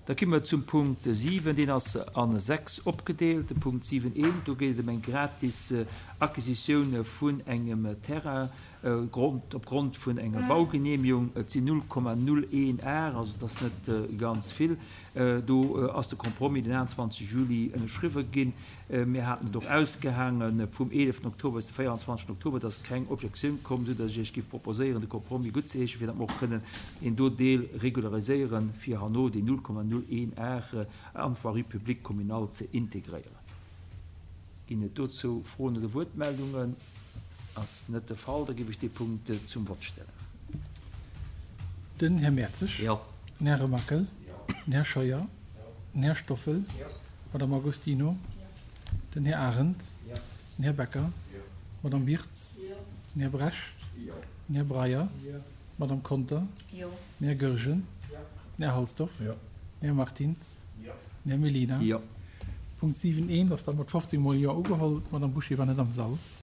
Da komme mer zum Punkt 7, deen ass a 6 opgedeelt. De Punkt 7 eent, do geet et ëm eng gratis Acquisitioun vun engem Terrain opgrond vun enger Baugenehmigung. Et sinn 0,01 Ar, also et ass net ganz vill. Do ass de Compromis den 21 Juli ënnerschriwwen ginn. Mir haten et och ausgehaange vum 11 Oktober bis de 24 Oktober, et ass keng Objektioun komm, esou datt ech Iech géif proposéieren, de Compromis guttzeheeschen, fir datt mer och kënnen deen do Deel regulariséieren, fir herno déi 0,01 Ar an d'Voirie publique communale ze integréieren. Ginn et dozou Froen oder Wuertmeldungen? Ass net de Fall, da géif ech dee Punkt zum Vott stellen. Den Här Mertzig. Jo. Den Här Remakel. Den Här Scheuer. Den Här Stoffel. D'Madame Agostino. Den Här Arendt. Den Här Becker. D'Madame Birtz. Den Här Brecht. Den Här Breyer. D'Madame Conter. Den Här Goergen. Den Här Halsdorf. Den Här Martins. Den Här Mellina. Punkt 7 eent ass da mat 15 mol Jo ugeholl. D'Madame Bouché war net am Sall.